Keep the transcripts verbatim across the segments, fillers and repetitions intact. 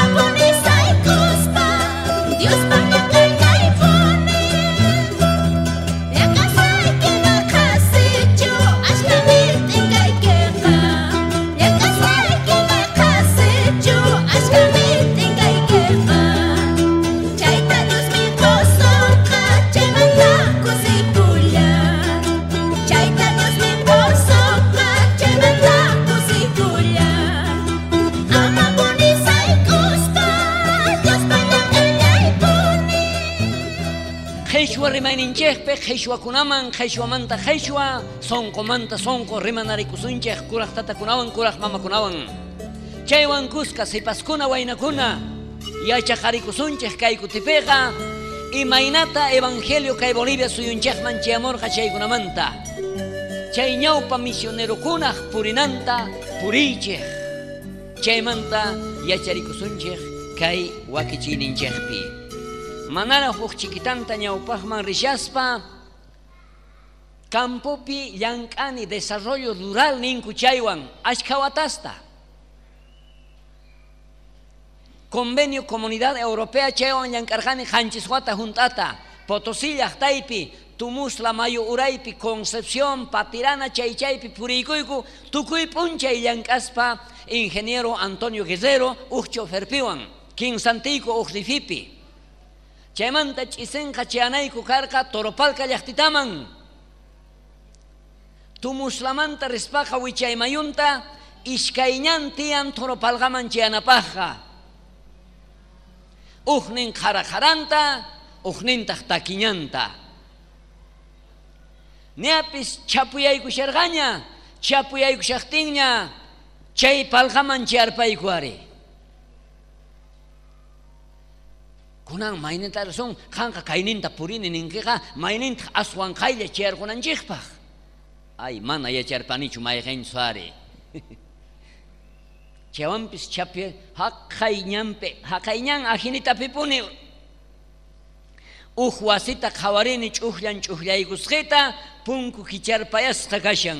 Amapuni saykuspa Diospa llank'aypuni Llank'asayki maqasichu ashkami t'inkaykiqa Llank'asayki maqasichu ashkami t'inkaykiqa Chayta Diosmi qusonqa chaymanta kusikulla Chayta Diosmi qusonqa chaymanta kusikulla Amapuni saykuspa Diospa llank'aypuni Qhishwa rimayninchikpi qhishwakunaman qhishwamanta qhishwa sonqomanta sonqo rimanarikusunchik kuraq tatakunawan kuraq mamakunawan chaywan kuska sipaskuna waynakuna yachaqarikusunchik kay kutipiqa imaynata evangelio kay Bolivia suyunchikman chayamurqa chaykunamanta chay ñawpa misionerokunaq purinanta puriychik chaymanta yacharikusunchik kay wakichiyninchikpi manara huk chiquitanta ñawpaqman rishaspa campopi llank'ani desarrollo rural ninku chaywan ashkha watasta convenio Comunidad Europea chaywan llank'arqani qanchis wata junt'ata Potosí llaqtaypi Tumusla mayu uraypi Concepción Patirana chay chaypi puriykuyku tukuy p'unchay llank'aspa ingeniero Antonio Guerrero uj choferpiwan kinsantiyku uj rifipi chaymanta ch'isinqa chayanayku karqa Toropalca llaqtitaman Tumuslamanta rispaqa wichaymayunta iskayñan tiyan Toropalqaman chayanapaqqa ujnin qharaqharanta ujnintaq takiñanta ñapis chapuyaykusharqaña chapuyaykushaqtinña chay palqaman chayarpayku ari kunan mayninta rasun qanqa kayninta purini ninkiqa maynintaq aswan qaylla chayarqunanchikpaq ay mana yacharpanichu mayqinchu ari chaywanpis chapi haqay ñanpi haqay ñan ajinitapipuni uj wasita qhawarini ch'ujllan ch'ujllaykusqita punku kicharpayasqa kashan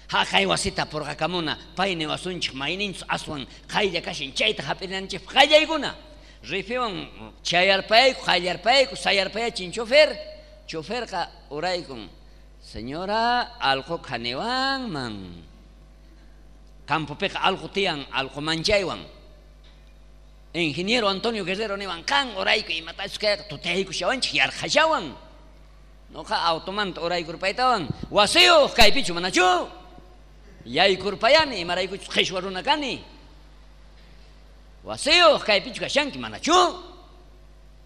haqay wasita purqakamuna pay niwasunchik mayninchus aswan qaylla kashan chayta hap'inanchikpaq qallaykuna rifiwan chayarpayayku qayllarpayayku sayarpayachin chofer choferqa uraykun señora alqu qhaniwanman campopiqa alqu tiyan alqu manchaywan ingeniero Antonio Guerrero niwan qan urayku imatachus kayqa tutaykushawanchik yarqhashawan noqa automanta uraykurpaytawan wasiyuq kaypichu manachu yaykurpayani imaraykuchus qhishwa runa kani wasiyuq kaypichu kashanki manachu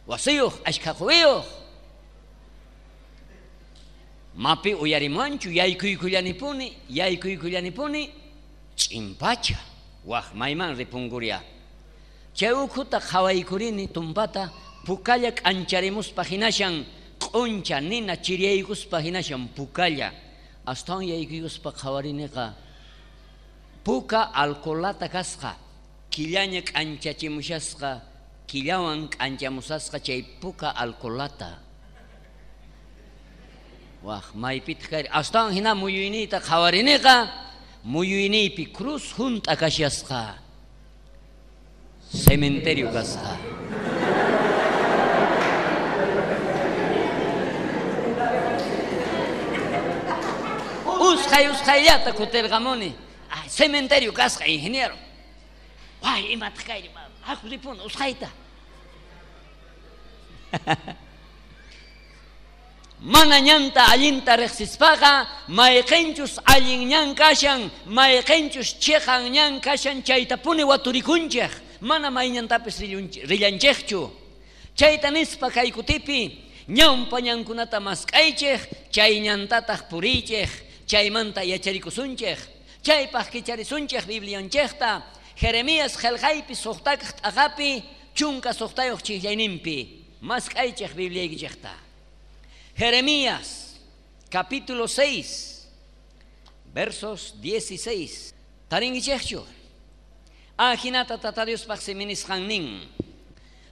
wasiyuq ashkha quwiyuq mapi uyarimanchu yaykuykullanipuni yaykuykullanipuni ch'impacha waq mayman ripunkuria chay ukhuta qhawaykurini tumpata pukalla k'ancharimuspa hinashan q'uncha nina chiriyaykuspa hinashan pukalla astawan yaykuykuspa qhawariniqa puka alcoholata kasqa killaña k'anchachimushasqa killawan k'anchamusasqa chay puka alcoholata waq maypitaq kari astawan hina muyuyniyta qhawariniqa muyuyniypi cruz junt'a kashasqa cementerio kasqa usqhay usqhayllata kutirqamuni ay cementerio kasqa ingeniero way imataq kayri haku ripuna usqhayta mana ñanta allinta riqsispaqa mayqinchus allin ñan kashan mayqinchus chiqan ñan kashan chaytapuni waturikunchik mana mayñantapis rillanchikchu chayta nispa kay kutipi ñawpa ñankunata mask'aychik chay ñantataq puriychik chaymanta yacharikusunchik chaypaq kicharisunchik Biblianchikta Jeremías qillqaypi suqtakaq t'aqapi chunka suqtayuq chiqllayninpi mask'aychik Bibliaykichikta Jeremías capítulo seis versos dieciséis tarinkichikchu ajinata Tata Diospaq siminisqan nin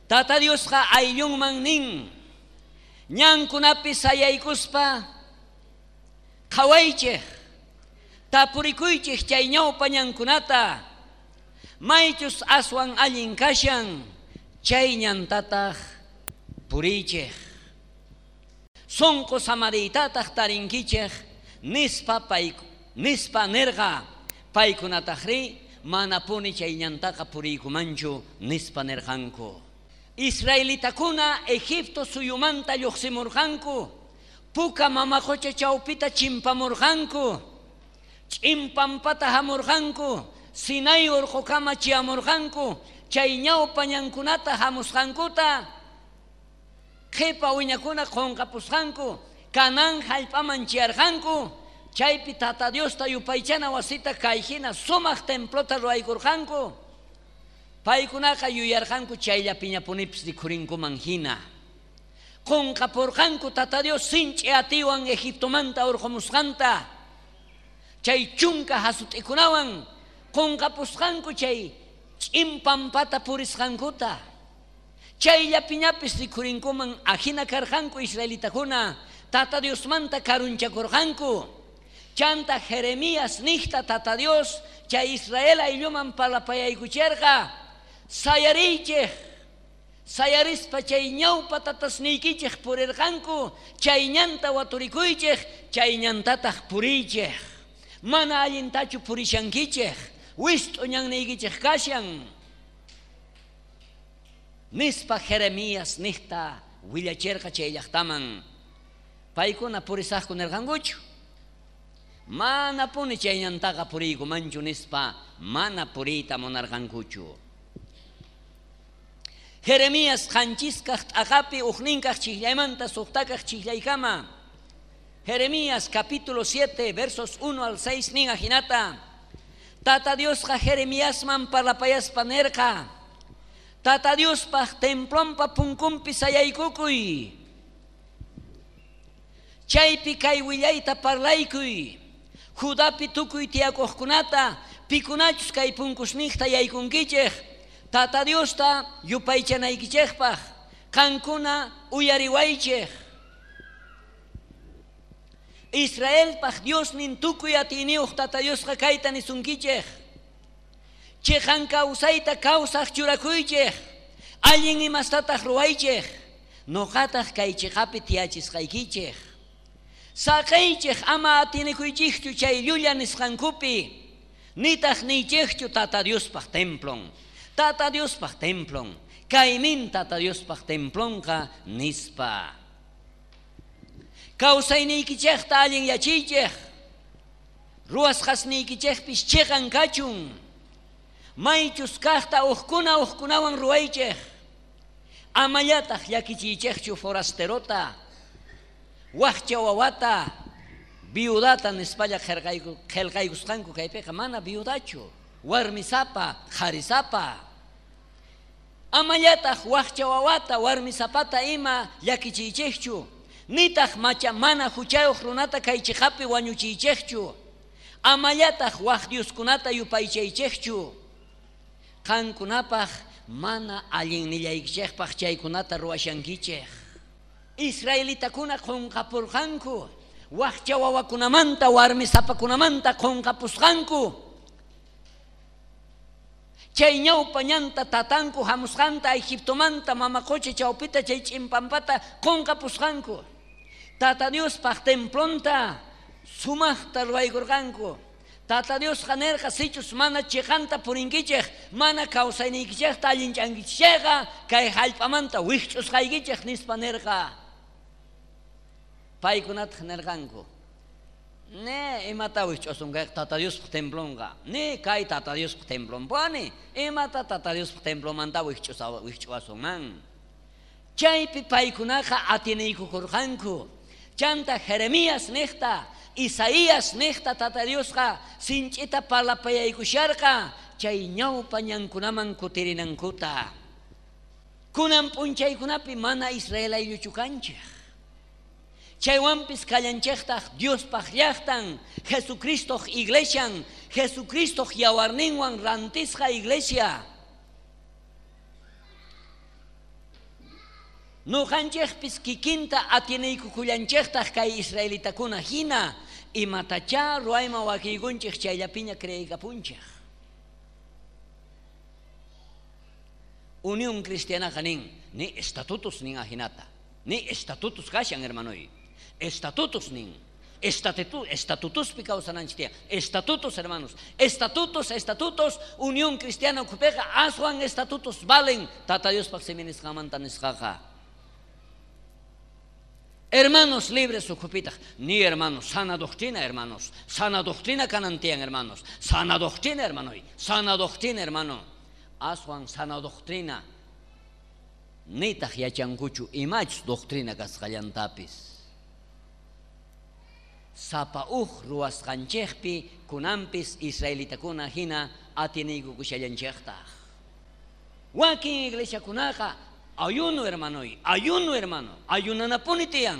Tata Diosqa ayllunman nin ñankunapi sayaykuspa qhawaychik tapurikuychik chay ñawpa ñankunata Maychus aswan allin kashan chay ñantataq puriychej. Sonqo samariytataq tarinkichej nispa pay nispa nerqa. Paykunatajri manapuni chay ñantaqa puriykumanchu nispa nerqanku. Israelitakuna Egipto suyumanta lluqsimurqanku. Puka mama qocha chawpita chimpamurqanku. Ch'inpampata hamurqanku. Sinai urqukama chiyamurqanku. Chay ñawpa ñankunata hamusqankuta qhipa wiñakuna qunqapusqanku. Canaán hallp'aman chiyarqanku. Chaypi Tata Diosta yupaychana wasita kayhina sumaq templota ruwaykurqanku. Paykunaqa yuyarqanku chayllapiñapunipis rikhurinkuman hina. Qunqapurqanku Tata Dios sinch'i atiwan Egiptomanta urqumusqanta. Chay chunka hasut'ikunawan qunqapusqanku chay ch'inpampata purisqankuta. Chayllapiñapis rikhurinkuman ajina karqanku israelitakuna Tata Diosmanta karunchakurqanku. Chanta Jeremías nijta Tata Dios chay Israel aylluman parlapayaykucherqa. Sayariychej. Sayarispa chay ñawpa tatasniykichej purirqanku. Chay ñanta waturikuychej, chay ñantataq puriychej. Mana allintachu purishankichej. Wist'u ñanniykichej kashan. Nispa Jeremías nijta willacherqa chay llaqtaman. Paykuna purisaqku nirqankuchu. Manapuni chay ñantaqa puriykumanchu nispa mana puriyta munarqankuchu. Jeremías qanchiskaq t'aqapi ujninkaq chiqllaymanta suqtakaq chiqllaykama. Jeremías capítulo siete versos uno al seis nin ajinata. Tata Diosqa Jeremiasman parlapayaspa nerqa. Tata Diospaq templonpa punkunpi sayaykukuy. Chaypi kay willayta parlaykuy. Judapi tukuy tiyakuqkunata pikunachus kay punkusniqta yaykunkichej. Tata Diosta yupaychanaykichejpaq qankuna uyariwaychej. Israelpaq Diosnin tukuy atiyniyuq Tata Diosqa kayta nisunkichej. Chiqan kawsayta kawsaq churakuychej. Allin imastataq ruwaychej. Nuqataq kay chiqapi tiyachisqaykichej. Saqaychej ama atinikuychejchu chay llulla nisqankupi. Nitaq niychejchu Tata Diospaq templon. Tata Diospaq templon. Kaymin Tata Diospaq templonqa nispa. Kawsayniykichejta allin yachiychej. Ruwasqasniykichejpis chiqan kachun. Maychus kaqta uqkuna uqkunawan ruwaychej. Amallataq llakichiychejchu forasterota, waqcha wawata, viudata nispalla qillqaykusqanku kaypiqa mana viudachu, warmisapa, qharisapa. Amallataq waqcha wawata, warmisapata ima llakichiychejchu. Nitaq macha mana huchayuq runata kay chiqapi wañuchiychejchu. Amallataq waq dioskunata yupaychaychejchu. Qankunapaq mana allinnillaykichejpaq chaykunata ruwashankichej. Israelitakuna qunqapurqanku. Waqcha wawakunamanta, warmisapakunamanta qunqapusqanku. Chay ñawpa ñanta tatanku hamusqanta Egiptomanta mama qocha chawpita chay ch'inpampata qunqapusqanku. Tata Diospaq templonta sumaqta ruwaykurqanku. Tata Diosqa nerqa sichus mana chiqanta purinkichej, mana kawsayniykichejta allinchankichejqa kay hallp'amanta wikch'usqaykichej nispa nerqa. Paykunataq nerqanku. Ne imata wikch'usunqa Tata Diospaq templonqa. Ne kay Tata Diospaq templonpuni. Imata Tata Diospaq templomanta wikch'uwasunman. Chaypi paykunaqa atiniykukurqanku. Chanta Jeremías niqta, Isaías niqta Tata Diosqa sinch'ita parlapayaykusharqa chay ñawpa ñankunaman kutirinankuta. Kunan p'unchaykunapi mana Israel aylluchu kanchej. Chaywanpis kallanchejtaq Diospaq llaqtan, Jesucristoq iglesian, Jesucristoq yawarninwan rantisqa iglesia. Nuqanchejpis kikinta atiniykukullanchejtaq kay israelitakuna hina imatachá ruwayman wakiykunchej chayllapiña creeykapunchej. Unión Cristianaqa nin, ni estatutos nin ajinata, ni estatutos kashan hermanoy, estatutos nin, estatutu, estatutuspi kawsananchik tiyan, estatutos hermanos, estatutos, estatutos, Unión Cristiana ukhupiqa aswan estatutos valen Tata Diospaq simi nisqanmanta nisqaqa. Hermanos libres ukhupitaq, ni hermanos, sana doctrina hermanos, sana doctrina kanan tiyan hermanos, sana doctrina hermanoy, sana doctrina hermano, aswan sana doctrina, nitaq yachankuchu imachus doctrina kasqallantapis. Sapa uj ruwasqanchikpi kunampis israelitakuna hina atiniykukushallanchiktaq. Wakin iglesiakunaqa ayuno hermanoy, ayuno hermano, ayunanapuni tiyan,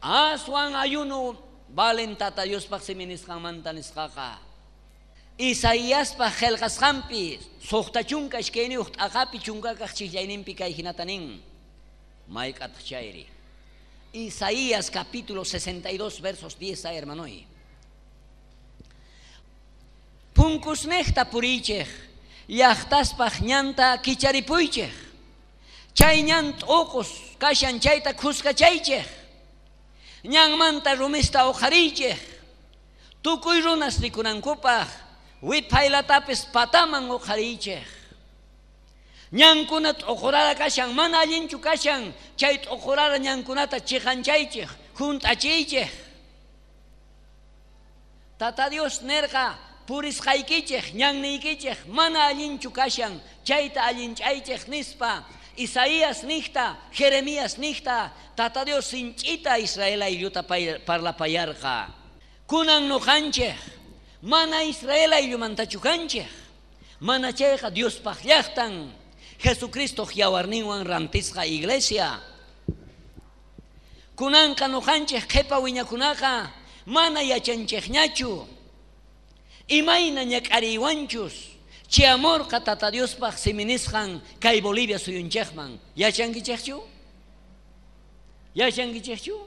aswan ayuno valen Tata Diospaq simi nisqanmanta nisqaqa. Isaiaspa qillqasqanpi suqta chunka iskayniyuq t'aqapi chunkakaq chiqllayninpi kay hinata nin. Mayk'ataq chayri. Isaías capítulo sesenta y dos versos diez a hermanoy. Punkusnejta purichej, llaqtaspaq ñanta kicharipuychej. Chay ñan t'uqus kashan chayta khuskachaychej. Ñanmanta rumista uqhariychej. Tukuy runas rikunankupaq wiphaylatapis pataman uqhariychej. Ñankuna t'uqurara kashan, mana allinchu kashan, chay t'uqurara ñankunata chiqanchaychej, junt'achiychej. Tata Dios nerqa purisqaykichej, ñanniykichej, mana allinchu kashan, chayta allinchaychej nispa. Isaías nijta, Jeremías nijta, Tata Dios sinch'ita Israel aylluta parlapayarqa. Kunan nuqanchej, mana Israel ayllumantachu kanchej, mana chayqa Diospaq llaqtan, Jesucristo yawarninwan rantisqa iglesia. Kunanqa nuqanchej qhipa wiñakunaqa mana yachanchejñachu. Imayna ñak'ariywanchus chiamorqa Tata Diospaq simi nisqan kay Bolivia suyunchejman. Yachankichejchu? Yachankichejchu?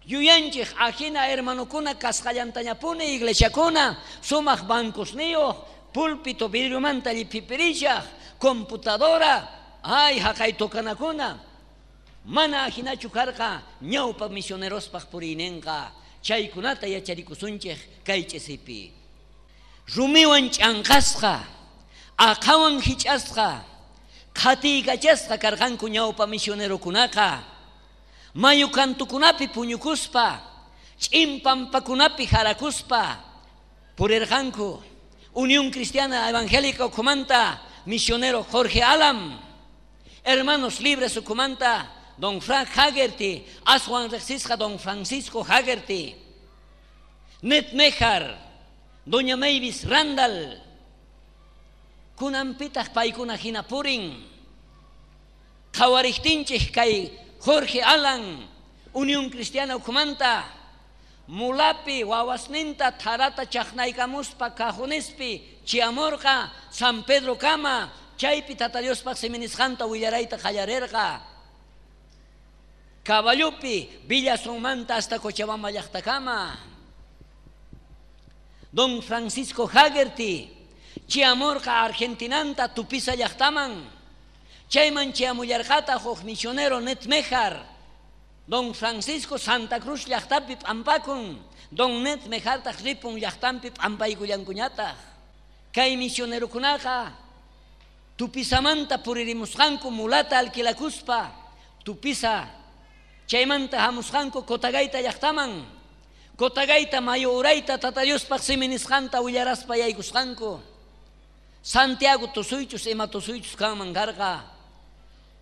Yuyanchej ajina hermanokuna kasqallantañapuni iglesiakuna sumaq bancosniyuq, púlpito vidriomanta lliphipirishaq, computadora, ay haqay tocanakuna. Mana ajinachu karqa ñawpa misionerospaq puriyninqa, chaykunata yacharikusunchej kay ch'isipi. Rumiwan ch'anqasqa, aqhawan hich'asqa, qhatiykachasqa karqanku ñawpa misionerokunaqa. Mayu kantukunapi puñukuspa, ch'in pampakunapi jarakuspa purirqanku. Unión Cristiana Evangélica ukhumanta misionero Jorge Alam, Hermanos Libres ukhumanta don Frank Haggerty, aswan riqsisqa don Francisco Haggerty, Ned Mejar, doña Mavis Randall, kunanpitaq paykuna hina purin. Qhawariktinchik kay Jorge Alan, Unión Cristiana ukhumanta, mulapi wawasninta tharata chaqnaykamuspa cajonespi chiamorqa San Pedro kama, chaypi Tata Diospaq simi nisqanta willarayta qallarerqa. Caballupi Villazonmanta hasta Cochabamba llaqtakama. Don Francisco Haggerty chiamorqa Argentinanta Tupiza llaqtaman. Chayman chiamullarqata huk misionero Ned Mejar. Don Francisco Santa Cruz llaqtapi p'ampakun, don Ned Mejartaq ripun llaqtanpi p'ampaykullankuñataq. Kay misionerokunaqa Tupizamanta puririmusqanku mulata alquilakuspa Tupiza chaymanta hamusqanku Cotagaita llaqtaman. Cotagaita mayu urayta Tata Diospaq simi nisqanta willaraspa yaykusqanku. Santiago tusuychus ima tusuychus kanman karqa.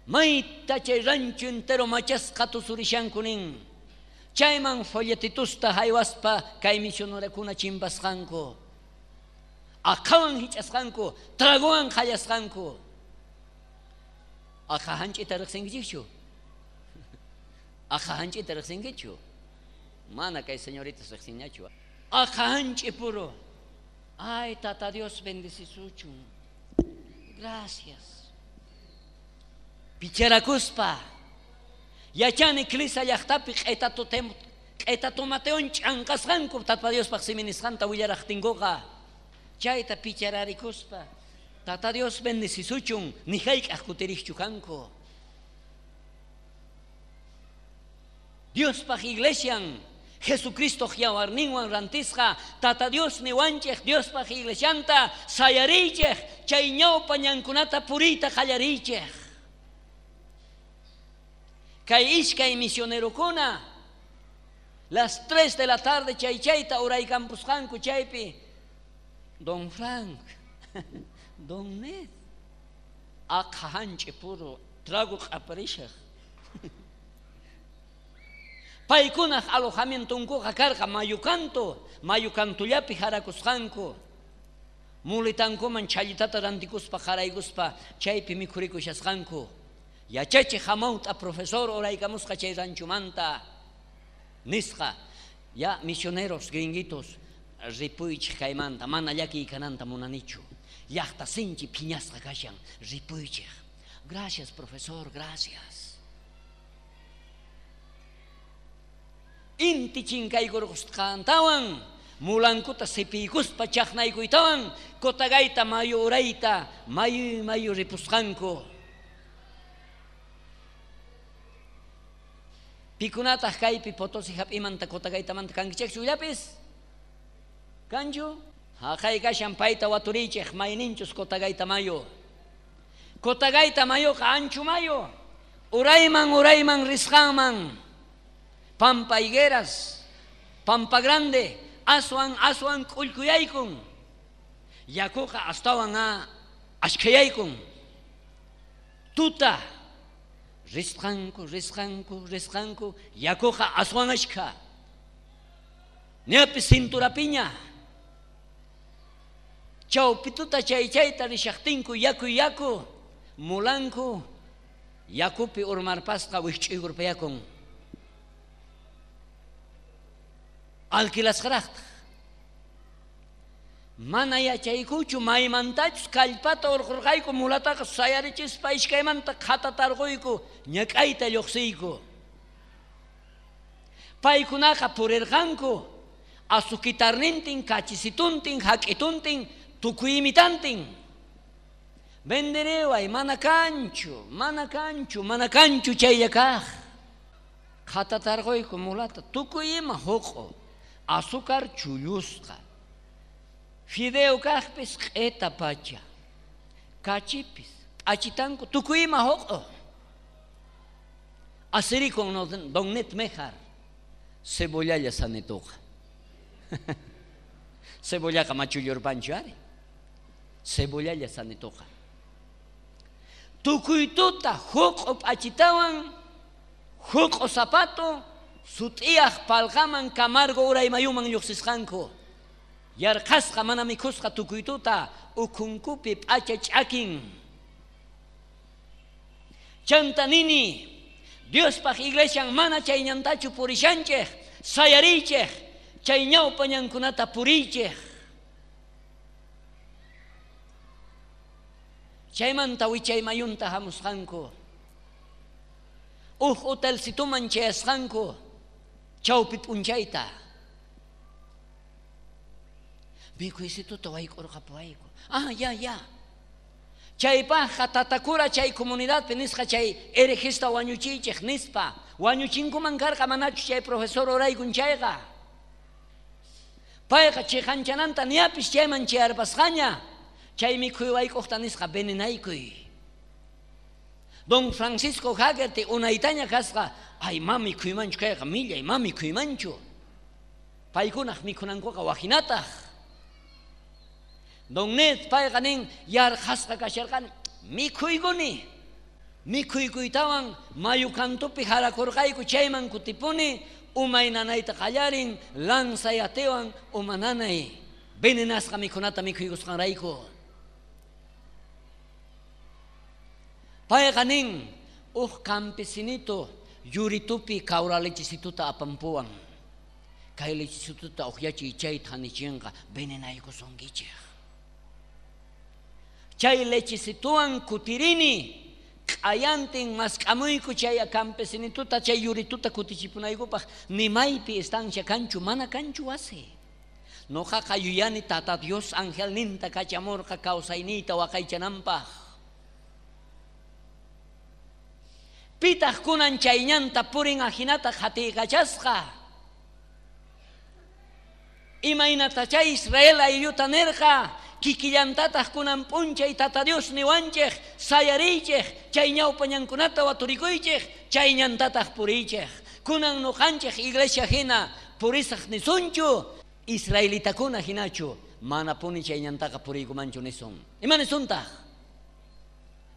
Mayta chay rancho entero machasqa tusurishanku nin. Chayman folletitusta haywaspa kay misionerakuna chimpasqanku. Aqhawan hich'asqanku, tragowan qallasqanku. Aqha hanch'ita riqsinkichikchu? Aqha hanch'ita riqsinkichu? Mana kay señoritas riqsinñachu. Aqha hanch'i puro. Ay, Tata Dios bendecisuchun. Gracias. Picharakuspa. Yachani klisa llaqtapi q'etatomateon ch'anqasqanku Tata Diospaq simi nisqanta willaraqtinkuqa. Chayta pichararikuspa. Tata Dios bendecisuchun, ni hayk'aq kutirikchu kanku. Diospaj iglesian, Jesucristo yawarninwan rantisqa, Tata Dios niwanchej Diospaj iglesianta sayarichej, chay ñawpa ñankunata puriyta qallariychej. Kay iskay misionerokuna, las tres de la tarde chay chayta uraykampusqanku chaypi, Don Frank, Don Ned, aqha hanch'i puro trago q'aparishaj. Paykunaj alojamientonkuqa karqa mayukanto, mayukantullapi harakusqanku. Mulitankuman challitata rantikuspa haraykuspa chaypi mikhurikushasqanku. Yachachi hamawt'a profesor uraykamusqa chay ranchumanta nisqa, ya misioneros gringuitos ripuychej kaymanta, mana llakiy kananta munanichu. Llaqta sinchi phiñasqa kashan, ripuychej. Gracias profesor, gracias. Inti chinkaykurqusqantawan, mulankuta sipiykuspa chaqnaykuytawan, Cotagaita mayu urayta, mayu mayu ripusqanku. Pikunataq kaypi Potosí hap'imanta Cotagaitamanta kankichejchu illapis? Kanchu? Haqay kashan payta waturichej mayninchus Cotagaita mayu. Cotagaita mayuqa anchu mayu. Urayman urayman risqanman. Pampa Higueras, Pampa Grande, aswan aswan k'ullkuyaykun. Yakuqa astawan a ashkhayaykun. Tuta risqanku, risqanku, risqanku, yakuqa aswan ashkha. Ñapis cinturapiña. Chawpituta chay chayta rishaqtinku yaku yaku, mulanku, yakupi urmarpasqa wikch'uykurpayakun. Alquilasqaraqtaq. Mana yachaykuchu maymantachus kallpata urqurqayku mulataqa sayarichispa iskaymanta qhatatarquyku ñak'ayta lluqsiyku. Paykunaqa purirqanku azuquitarnintin, kachisituntin, hak'ituntin, tukuy imitantin. Vendereway, mana kanchu, mana kanchu, mana kanchu chaylla kaq. Qhatatarquyku mulata tukuy ima huq'u, azúcar chullusqa. Fideo kaqpis q'ita pacha, kachipis, achitanku, tukuy ima huq'u. Asirikun no, don Net Mejar, cebollalla sanituqa. Cebollaqa machullurpanchu ari. Cebollalla sanituqa. Tukuy tuta huq'u p'achitawan, huq'u zapato, sut'iyaq palqaman Camargo uraymayuman lluqsisqanku. Yarqasqa mana mikhusqa tukuy tuta ukhunkupi p'acha ch'akin. Chanta nini, Diospaj iglesian mana chay ñantachu purishanchej, sayarichej, chay ñawpa ñankunata purichej. Chaymanta wichay mayunta hamusqanku. Uj hotelcituman chayasqanku, chawpi p'unchayta. Mikhuysituta wayk'urqapuwayku. Ah, ya, ya. Chaypajqa tatakura chay comunidadpi nisqa chay herejista wañuchiychej nispa. Wañuchinkuman karqa manachu chay profesor uraykun chayqa. Payqa chiqanchananta niapis chayman chayarpasqaña. Chay mikhuy wayk'uqta nisqa venenaykuy. Don Francisco Haggerty unaytaña kasqa, ay ma mikhuymanchu kayqa millay, ma mikhuymanchu. Paykunaq mikhunankuqa wajinataq. Don Ned payqa nin yarqasqa kasharqani mikhuykuni. Mikhuykuytawan mayu kantupi harakurqayku chayman kutipuni umay nanayta qallarin lanzayatewan uma nanay venenasqa mikhunata mikhuykusqanrayku. Payqa nin uj campesinito yuritupi kawra lechisituta apampuwan. Kay lechisituta uqyachiy chayta hanichinqa venenaykusunkichej. Chay lechisituwan kutirini q'ayantin mask'amuyku chay campesinituta chay yurituta kutichipunaykupaq ni maypi estancia kanchu mana kanchu wasi. Noqaqa yuyani Tata Dios angelninta kachamurqa kawsayniyta waqaychananpaq. Pitaq kunan chay ñanta purin ajinata qhatiykachasqa. Imaynata chay Israel aylluta nerqa kikillantataq kunan p'unchay Tata Dios niwanchej sayariychej chay ñawpañankunata waturikuychej chay ñantataq puriychej. Kunan noqanchej iglesia hina purisaq nisunchu israelitakuna hinachu mana puni chay ñantaqa puriykumanchu nisun. Ima nisuntaq?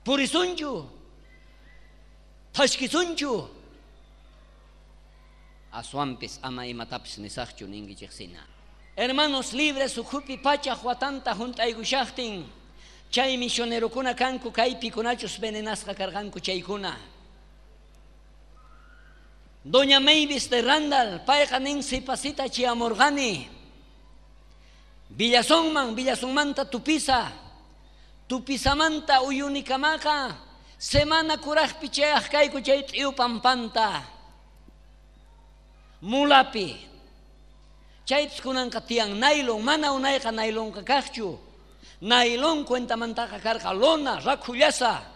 Purisunchu? Thashkisunchu? Aswanpis ama imatapis nisaqchu ninkichejsina. Hermanos libres ukhupi pachaj watanta junt'aykushaqtin chay misionerokuna kanku kaypikunachus venenasqa karqanku chaykuna. Doña Mavis de Randall payqa nin sipasita chiyamurqani Villazonman, Villazonmanta Tupiza, Tupisamanta Uyunikamaqa semana kurajpi chayaq kayku chay t'iyu pampanta mulapi. Chaypis kunanqa tiyan naylon, mana unayqa naylonqa kaqchu. Naylon cuentamantaqa karqa lona, rakhullasa.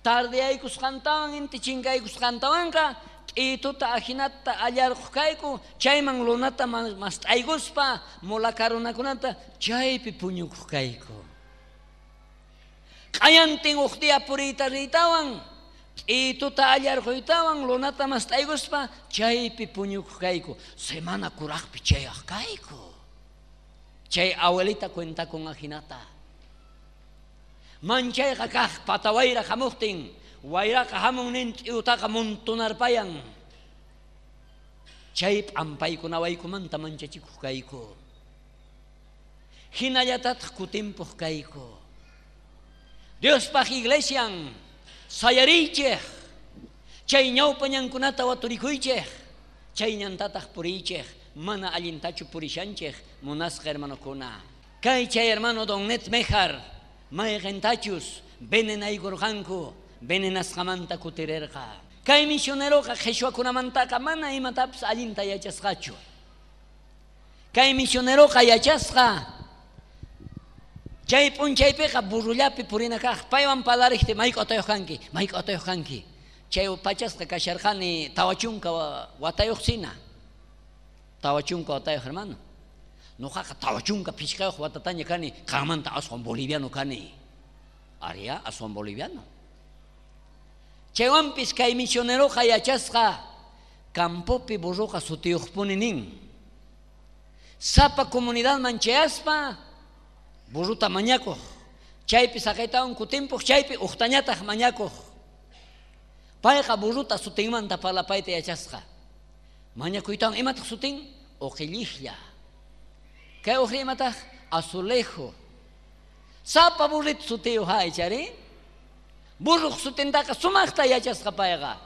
Tardeyaykusqantawan inti chinkaykusqantawanqa t'ituta ajinata allarquq kayku chayman lonata mast'aykuspa mulakarunakunata chaypi puñukuq kayku. Q'ayantin uq día puriyta riytawan t'ituta allarquytawan lonata mast'aykuspa chaypi puñukuq kayku. Semana kuraqpi chayaq kayku. Chay abuelita cuentakun ajinata. Manchayqa kaq patawayra hamuqtin wayraqa hamun nin t'iutaqa montonarpayan. Chay p'ampaykunawaykumanta manchachikuq kayku. Hinallatataq kutimpuq kayku. Diospaq iglesian sayariychej chay ñawpañankunata waturikuychej chay ñantataq puriychej mana allintachu purishanchej munasqa hermanokuna. Kay chay hermano Don Net Mejar mayqintachus venenaykurqanku venenasqamanta kutirerqa. Kay misioneroqa qhichwakunamantaqa mana imatapis allinta yachasqachu. Kay misioneroqa yachasqa chay p'unchaypiqa burrullapi purina kaq paywan parlariqti mayk'atayuq kanki mayk'atayuq kanki. Chay pachasqa kasharqani tawa chunka watayuqsina. Tawa chunka watayuq hermano. Noqaqa tawa chunka phishqayuq watataña kani qanmanta aswan boliviano kani. Aria aswan boliviano. Chaywanpis kay misioneroqa yachasqa campopi burruqa sutiyuqpuni nin. Sapa comunidadman chayaspa burruta mañakuq. Chaypi saqaytawan kutimpuq chaypi uqtañataq mañakuq. Payqa burruta sutinmanta parlapayta yachasqa. Mañakuytawan imataq sutin? Uqillishlla. Kay uqri imataq? Azulejo. Sapa burrito sutiyuq haychari. Burruq sutintaqa sumaqta yachasqa payqa.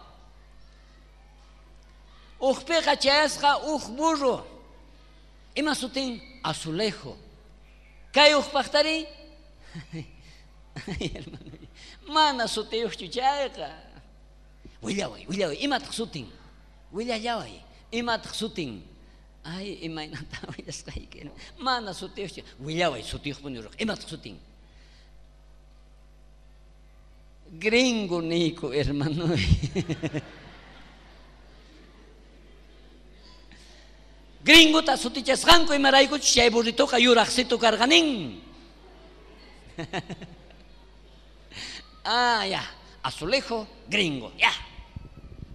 Uqpiqa chayasqa uq burro. Ima sutin? Azulejo. Kay uqpaqtari? Hermano, mana sutiyuqchu chayqa. Willaway, willaway, imataq sutin? Willallaway, imataq sutin? Ay, imaynata willasqayki. Mana sutiyuqchu. Willaway, sutiyuqpuni ruq. Imataq sutin? Gringo niku, hermano. Gringota sutichasqanku imaraykuchus chay burritoqa yuraqsitu karqanin. Ah, ya. Azulejo, gringo, ya.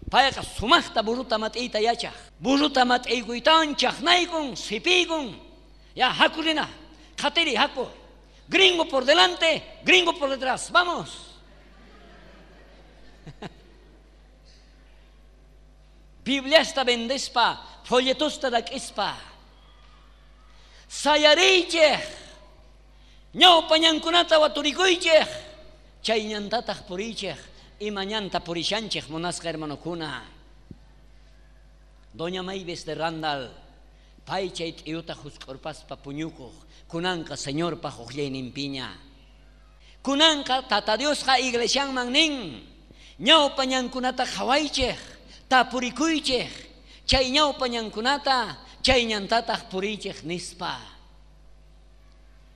Payqa sumaqta burruta mat'iyta yachaq. Burruta mat'iykuytawan chaqnaykun, sipiykun. Ya, haku rina. Qatiri, haku. Gringo por delante, gringo por detrás. Vamos. Bibliasta vendespa, folletosta rak'ispa. Sayariychej, ñawpañankunata waturikuychej, chay ñantataq puriychej, ima ñanta purishanchej munasqa hermanokuna. Doña Mavis de Randall, pay chay t'iyuta husk'urpaspa puñukuq, kunanqa Señorpaq uqllayninpiña. Kunanqa Tata Diosqa iglesianman nin, ñawpañankunata qhawaychej, tapurikuychej, chay ñawpañankunata, chay ñantataq puriychej nispa.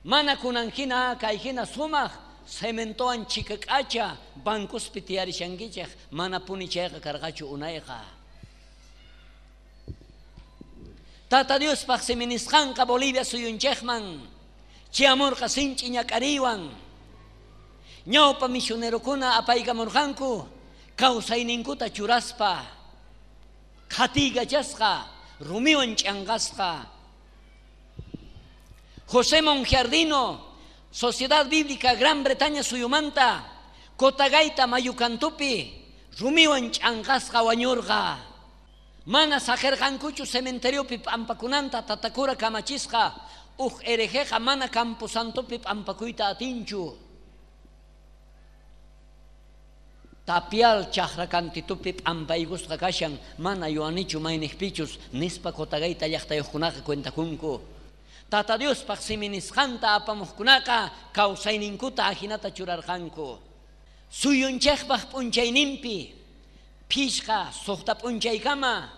Mana kunan hina kay hina sumaq cementowan chikak'acha bancospi tiyarishankichej, mana puni chayqa karqachu unayqa. Tata Diospaq siminisqanqa Bolivia suyunchejman chiamurqa sinch'i ñak'ariywan. Ñawpa misionerokuna apaykamurqanku kawsayninkuta churaspa qhatiykachasqa rumiwan ch'anqasqa. José Mongiardino, Sociedad Bíblica Gran Bretaña suyumanta, Cotagaita mayukantupi rumiwan ch'anqasqa wañurqa. Mana saqirqankuchu cementeriopi p'ampakunanta tatakura kamachisqa, uj herejeqa mana camposantopi p'ampakuyta atinchu. Tapial chaqra kantitupi p'ampaykusqa kashan, mana yuanichu mayniqpichus nispa Cotagaita llaqtayuqkunaqa cuentakunku. Tata Diospaq siminisqanta apamuqkunaqa kawsayninkuta ajinata churarqanku. Suyunchejpaq p'unchayninpi phishqa suqta p'unchaykama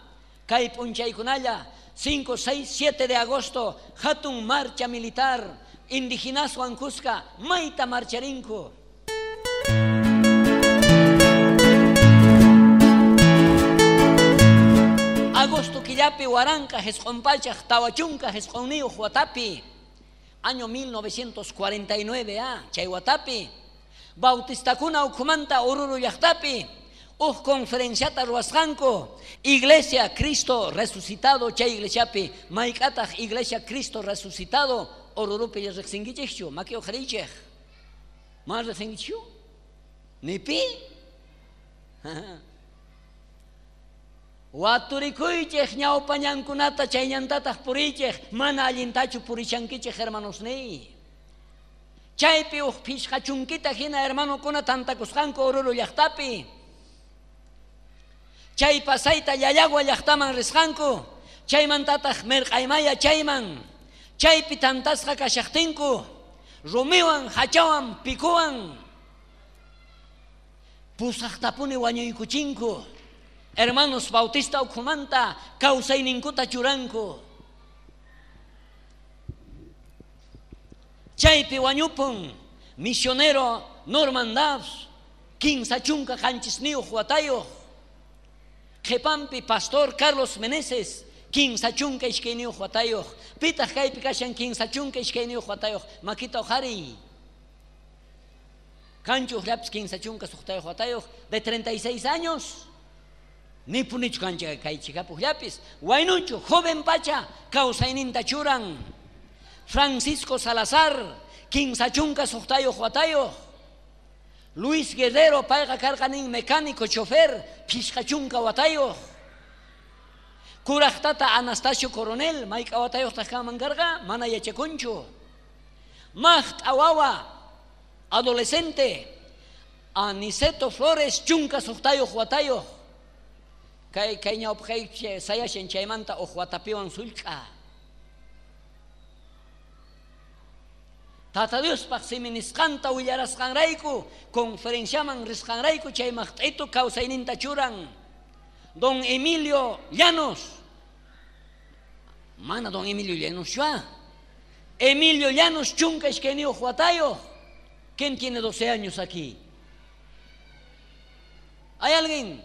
kay p'unchaykunalla cinco, seis, siete de agosto hatun marcha militar indigenaswan kuska mayta marcharinku. Agosto killapi waranqa jisq'unpachaq tawa chunka jisq'unniyuq watapi, año mil novecientos cuarenta y nueve, ah, chay watapi, bautistakuna ukhumanta Oruro llaqtapi uj conferenciata ruwasqanku Iglesia Cristo Resucitado chay iglesiapi, mayk'ataq Iglesia Cristo Resucitado Orurupi riqsinkichikchu, maki uqharichej, ma riqsinkichu? Nipi? Waturikuychej ñawpañankunata chay ñantataq puriychej, mana allintachu purishankichej hermanosniy. Chaypi uj phishqa chunkita hina hermanokuna tantakusqanku Oruro llaqtapi. Chay pasayta Llallagua llaqtaman risqanku, chaymantataq Merqaymaya chayman, chaypi tantasqa kashaqtinku, rumiwan, hachawan, pikuwan, pusaqtapuni wañuykuchinku. Hermanos Bautista ukhumanta kawsayninkuta churanku. Chaypi wañupun misionero Norman Dabbs, kinsa chunka qanchisniyuq watayuq. Qhipampi pastor Carlos Meneses, kinsa chunka iskayniyuq watayuq. Pitaq kaypi kashan kinsa chunka iskayniyuq watayuq, makita uqhariy. Kanchu uqllapis kinsa chunka suqtayuq watayuq, de treinta y seis años. Ni punichu kancha kay chikapuqllapis. Waynuchu, joven pacha, kawsayninta churan. Francisco Salazar, kinsa chunka suqtayuq watayuq. Luis Guerrero, payqa karqanin mecánico, chofer, phishqa chunka watayuq. Kuraqtata Anastasio Coronel, mayk'a watayuqtaq kanman karqa, mana yachakunchu. Maqt'a wawa, adolescente, Aniceto Flores, chunka suqtayuq watayuq. Kay kay ñawpaqay sayashan chaymanta uj watapiwan sullk'a. Tata Diospaq siminisqanta willarasqanrayku, conferenciaman risqanrayku chay maqt'itu kawsayninta churan. Don Emilio Llanos. Mana don Emilio Llanos chua. Emilio Llanos chunka iskayniyuq watayuq. ¿Quién tiene doce años aquí? ¿Hay alguien?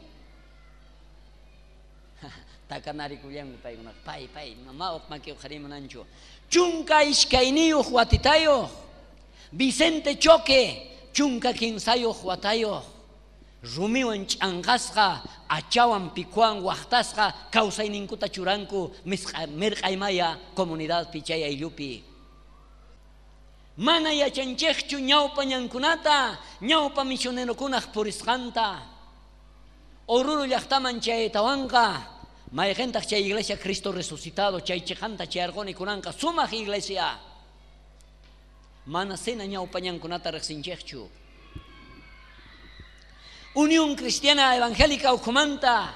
Takanarikullanku paykuna, pay, pay, mama uq maki uqharimunanchu. Chunka iskayniyuq watitayuq. Vicente Choque, chunka kinsayuq watayuq. Rumiwan ch'anqasqa, achawan pikuwan waqtasqa, kawsayninkuta churanku Mirqaymaya comunidadpi chay ayllupi. Mana yachanchejchu ñawpa ñankunata, ñawpa misionerokunaq purisqanta. Oruro llaqtaman chaytawanqa, mayqintaq chay iglesia Cristo Resucitado, chay chiqanta chayarquni kunanqa sumaq iglesia. Mana sena ñawpa ñankunata riqsinchejchu. Unión Cristiana Evangélica ukhumanta,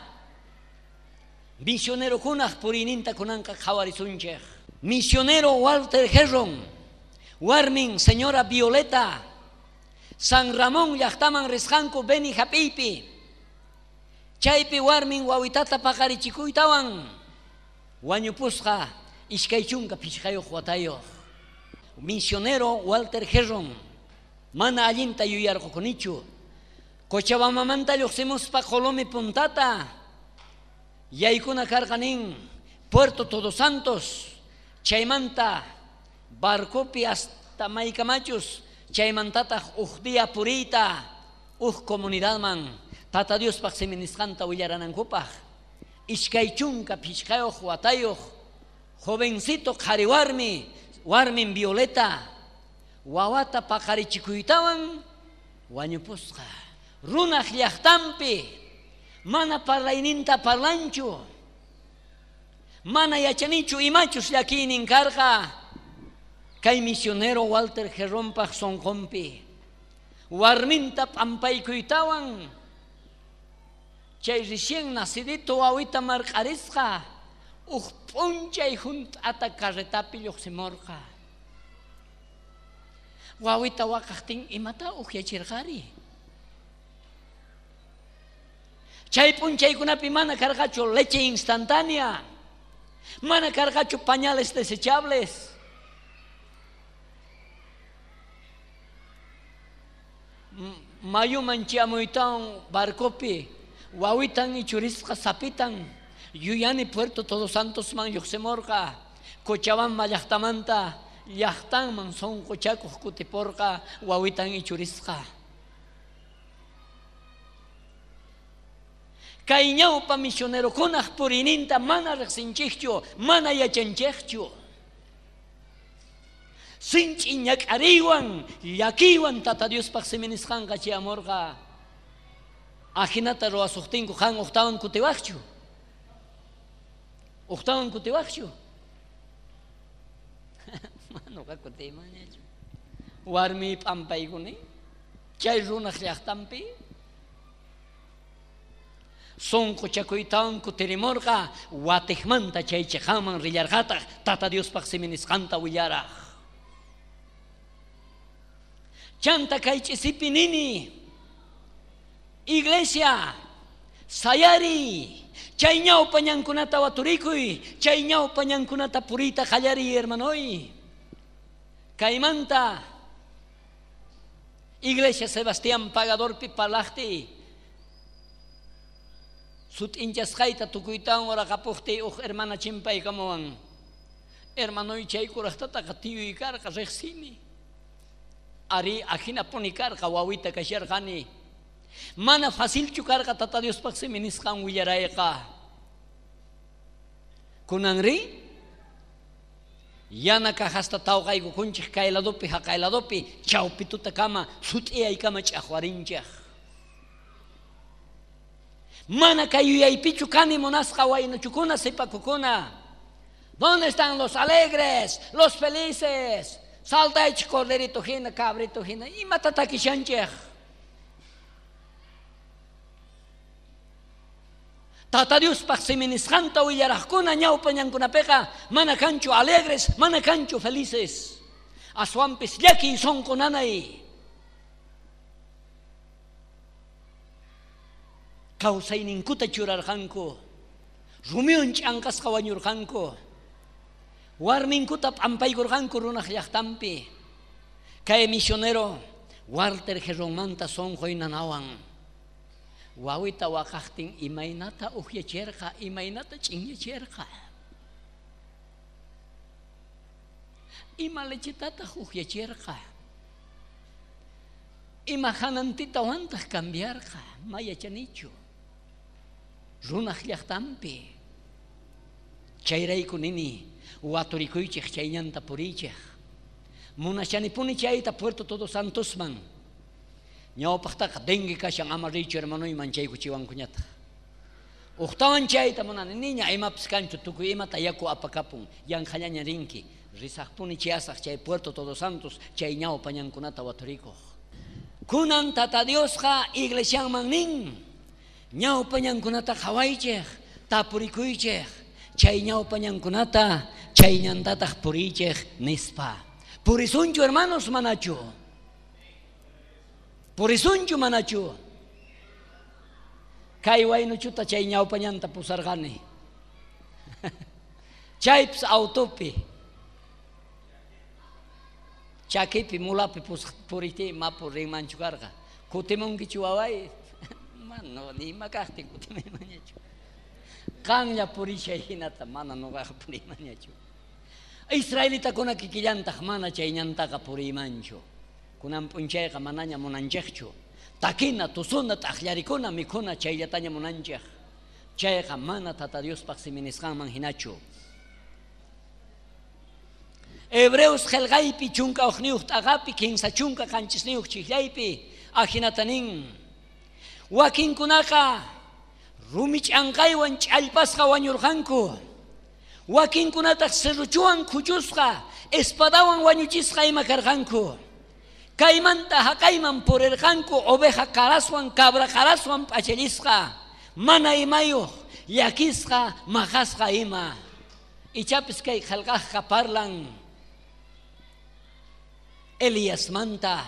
misionerokunaq puriyninta kunanqa qhawarisunchej. Misionero Walter Herron, warmin señora Violeta, San Ramón llaqtaman risqanku Beni hap'iypi. Chaypi warmin wawitata paqarichikuytawan Wañupusqa iskay chunka phishqayuq watayuq. Misionero Walter Herron mana allinta yuyarqukunichu. Cochabambamanta lluqsimuspa Colomi puntata yaykuna karqa nin Puerto Todos Santos, chaymanta barcopi hasta maykamachus, chaymantataq uj día puriyta uj comunidadman Tata Diospaq siminisqanta willaranankupaq. Iskay chunka phishqayuq watayuq jovencito qhari warmi, warmin Violeta, wawata paqarichikuytawan wañupusqa. Runaq llaqtanpi mana parlayninta parlanchu, mana yachanichu imachus llakiynin karqa. Kay misionero Walter Herronpaq sonqonpi warminta p'ampaykuytawan chay recién nacidito wawita marq'arisqa uj p'unchay junt'ata carretapi lluqsimurqa. Wawita waqaqtin imata ukyachirqari. Chay p'unchaykunapi mana karqachu leche instantánea, mana karqachu pañales desechables. Mayuman chiamuytawan barcopi wawitan ichurisqa sapitan yuyani Puerto Todos Santosman lluqsimurqa. Cochabamba llaqtamanta llaqtanman sunquchakuq kutipurqa wawitan ichurisqa. Kay ñawpa misionerokunaq puriyninta mana riqsinchikchu, mana yachanchikchu. Sinch'i ñak'ariywan llakiywan Tata Diospaq siminisqanqa chayamurqa. Ajinata ruwasuqtinku qan uqtawan kutiwaqchu, uqtawan kutiwaqchu. Manuqa kutiymanñachu. Warmi p'ampaykuni chay runaq llaqtanpi sunquchakuytawan kutirimurqa watiqmanta chay chiqanman rillarqataq Tata Diospaq siminisqanta willaraq. Chanta kay ch'isipi nini, iglesia, sayari, chay ñawpa ñankunata waturikuy, chay ñawpa ñankunata puriyta qallariy, hermanoy. Kaymanta iglesia Sebastián Pagadorpi parlaqti sut'inchasqayta tukuytawan uraqapuqtiy uj hermana chimpaykamuwan. Hermanoy chay kuraqtataqa tiyuy karqa riqsini. Ari ajinapuni karqa wawita kasharqani. Mana facilchu karqa Tata Diospaq siminisqan willarayqa. Kunanri yana kajasta tawqaykukunchik kay ladopi haqay ladopi chawpitutakama sut'iyaykama ch'aqwarinchik. Mana kay yuyaypichu kani munasqa waynuchukuna sipakukuna. ¿Dónde están los alegres, los felices? Saltaychik corderito hina, cabrito hina, imata takishanchik. Tata Diospaq siminisqanta willaraqkuna ñawpa ñankunapiqa mana kanchu alegres, mana kanchu felices. Aswanpis llakiy sunqu nanay. Kawsayninkuta churarqanku, rumiwan ch'anqasqa wañurqanku, warminkuta p'ampaykurqanku runaq llaqtanpi. Kay misionero Walter Herronmanta sunquy nanawan. Wawita waqaqtin imaynata ukyachirqa, imaynata ch'inyachirqa. Ima lechetataq ukyachirqa, ima hanantitawantaq cambiarqa, ma yachanichu. Runaq llaqtanpi. Chayrayku nini waturikuychik chay ñanta puriychik. Munashanipuni chayta Puerto Todos Santosman. Ñawpaqtaqa dengue kashan ama riychu hermanoyman chaykuchiwankuñataq. Uqtawan chayta munani niña imapis kanchu tukuy imata yaku apakapun yanqhallaña rinki. Risaqpuni chayasaq chay Puerto Todos Santos chay ñawpa ñankunata waturikuq. Kunan Tata Diosqa iglesianman nin ñawpa ñankunata qhawaychik, tapurikuychik, chay ñawpa ñankunata chay ñantataq puriychik nispa. Purisunchu hermanos manachu. Purisunchu manachu. Kay waynuchuta chay ñawpa ñanta pusarqani. Chaypis autopi. Chakipi mulapi puriti mapu rinmanchu karqa. Kutimunkichu waway? Mana nima kaqtin kutimaymanñachu. Qanlla purishay hinata mana nuqaqa puriymanñachu. Israelitakuna kikillantaq mana chay ñantaqa puriymanchu. Kunan p'unchayqa manaña munanchikchu. Takina, tusuna, t'aqllarikuna, mikhuna chayllataña munanchik. Chayqa mana Tata Diospaq siminisqanman hinachu. Hebreos qillqaypi chunka uqniyuq t'aqapi kinsa chunka qanchisniyuq chiqllaypi ajinata nin. Wakinkunaqa rumi ch'anqaywan ch'allpasqa wañurqanku. Wakinkunataq serruchuwan khuchusqa, espadawan wañuchisqa ima karqanku. Kaymanta haqayman purirqanku oveja qaraswan cabra qaraswan p'achallisqa, mana imayuq, llakisqa, maqasqa ima. Ichapis kay qillqaqqa parlan Eliasmanta,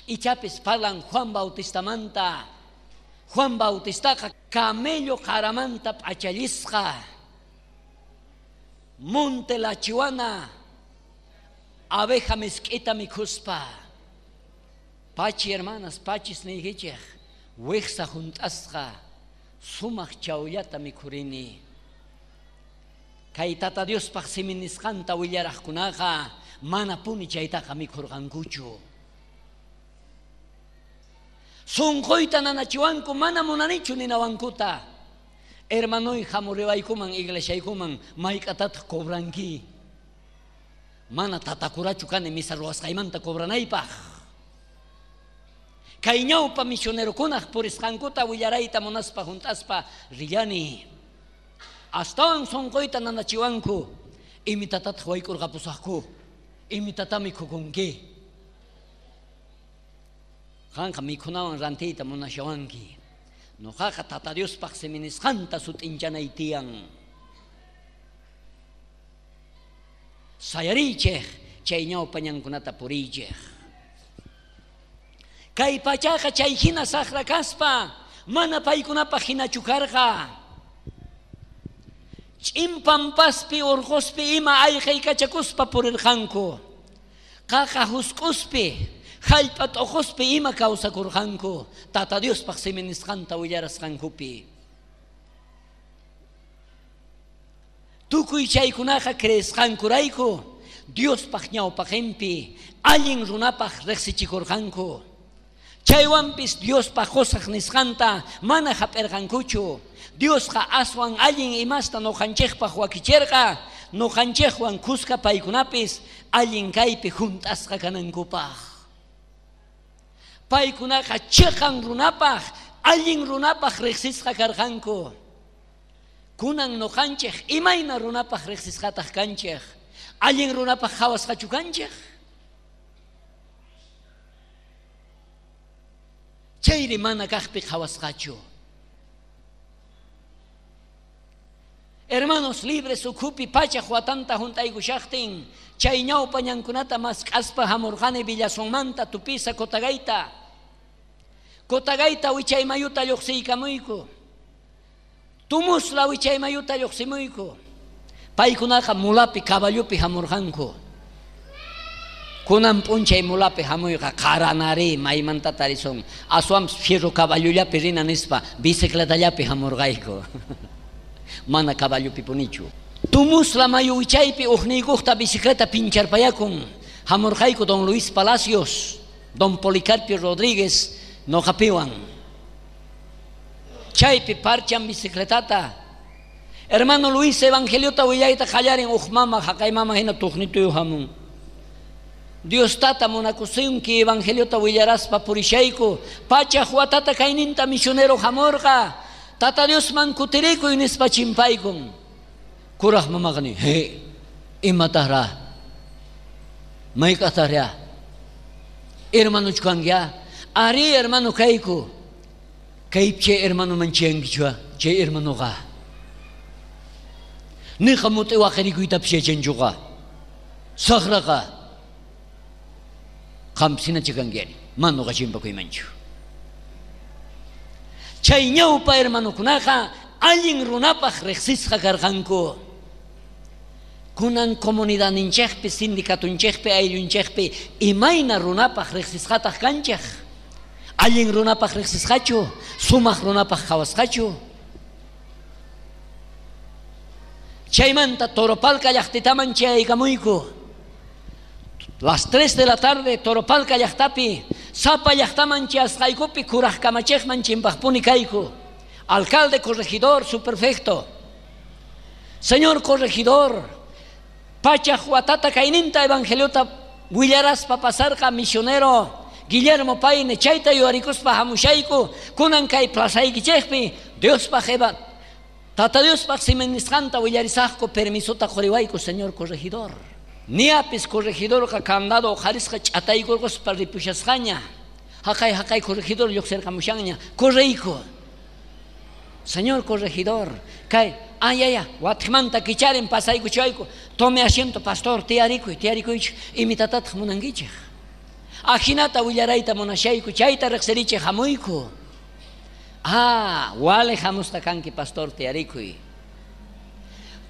ichapis parlan Juan Bautistamanta. Juan Bautistaqa camello qaramanta p'achallisqa, monte lachiwana abeja misk'ita mikhuspa. Pachi hermanas, pachis niykichej, wijsa junt'asqa sumaq chawllata mikhurini. Kay Tata Diospaq siminisqanta willaraqkunaqa mana puni chaytaqa mikhurqankuchu. Sunquyta nanachiwanku mana munanichu ninawankuta. Hermanoy hamuriwaykuman iglesiaykuman mayk'atataq cobranki. Mana tatakurachu kani misa ruwasqaymanta cobranaypaq. Kay ñawpa misionerokunaq purisqankuta willarayta munaspa junt'aspa rillani. Astawan sunquyta nanachiwanku. Imitatataq wayk'urqapusaqku. Imitata mikhukunki. Qanqa mikhunawan rantiyta munashawanki. Nuqaqa Tata Diospaq siminisqanta sut'inchanay tiyan. Sayariychej chay ñawpa ñankunata puriychej. Kay pachaqa chay hina saqra kaspa mana paykunapaq hinachu karqa. Ch'in pampaspi urquspi ima ayqaykachakuspa purirqanku. Qaqa husk'uspi hallp'a t'uquspi ima kawsakurqanku Tata Diospaq siminisqanta willarasqankupi. Tukuy chaykunaqa creesqankurayku Diospaq ñawpaqinpi allin runapaq riqsichikurqanku. Chaywanpis Diospaq qusaq nisqanta mana hap'irqankuchu. Diosqa aswan allin imasta nuqanchikpaq wakichirqa, nuqanchikwan kuska paykunapis allin kaypi junt'asqa kanankupaq. Paykunaqa chiqan runapaq, allin runapaq riqsisqa karqanku. Kunan nuqanchik imayna runapaq riqsisqataq kanchik, allin runapaq qhawasqachu kanchik. Chayri mana kaqpi qhawasqachu. Hermanos libres ukhupi pachaq watanta junt'aykushaqtin, chay ñawpa ñankunata mask'aspa hamurqani Villasonmanta Tupisa Cotagayta. Cotagayta wichay mayuta lluqsiykamuyku. Tumusla wichay mayuta lluqsimuyku. Paykunaqa mulapi caballopi hamurqanku. Kunan p'unchay mulapi hamuyqa qaranari maymanta tarisun. Aswanpis fierro caballollapi rina nispa bicicletallapi hamurqayku. Mana caballopi punichu. Tumusla mayu wichaypi uqniykuqta bicicleta pincharpayakun. Hamurqayku don Luis Palacios, don Policarpio Rodríguez noqapiwan. Chaypi parchan bicicletata. Hermano Luis evangeliota willayta qallarin uq mama haqay mama hina tuqnituyu hamun. Dios tata munakusunki evangeliota willaraspa purishayku. Pachaq watata kayninta misionero hamurqa. Tata Diosman kutirikuy nispa chimpaykun. Kuraq mamaqa nin, he, imataqra? Mayk'ataqra? Hermanuchu kankiya? Ari hermano kayku. Kaypi chay hermanoman chayankichua, chay hermanoqa. Niqa mut'i waqarikuytapis yachanchuqa. Saqraqa. Qampis hinachu kanki, mana nuqa chimpakuymanchu. Chay ñawpa hermanokunaqa allin runapaq riqsisqa karqanku. Kunan comunidadninchejpi, sindicatunchejpi, ayllunchejpi, imayna runapaj riqsisqataq kanchej. Allin runapaj riqsisqachu, sumaq runapaj qhawasqachu. Chaymanta Toropalca llaqtitaman chayaykamuyku. Las tres de la tarde Toropalca llaqtapi, sapa llaqtaman chayasqaykupi kuraj kamachejman chimpajpuni kayku. Alcalde, corregidor, subprefecto. Señor corregidor, pachaj watata kayninta evangeliota willaraspa pasarqa misionero Guillermo Paine, chayta yuyarikuspa hamushayku, kunan kay plazaykichejpi, Diospaj eva Tata Diospaj simenisqanta willarisaqku, permisota quriwayku, señor corregidor. Niapis corregidorqa candado uqharisqa ch'ataykurquspa ripushasqaña. Haqay haqay corregidor lluqsirqamushanña, correyku. Señor corregidor, kay, ay, ay, ay, watjmanta kicharen pasaykuchayku, tome asiento, pastor, tiyarikuy, tiyarikuychik, imitatataq munankichik. Ajinata willarayta munashayku, chayta riqsirichik hamuyku. Ah, wale hamusqa kanki, pastor, tiyarikuy.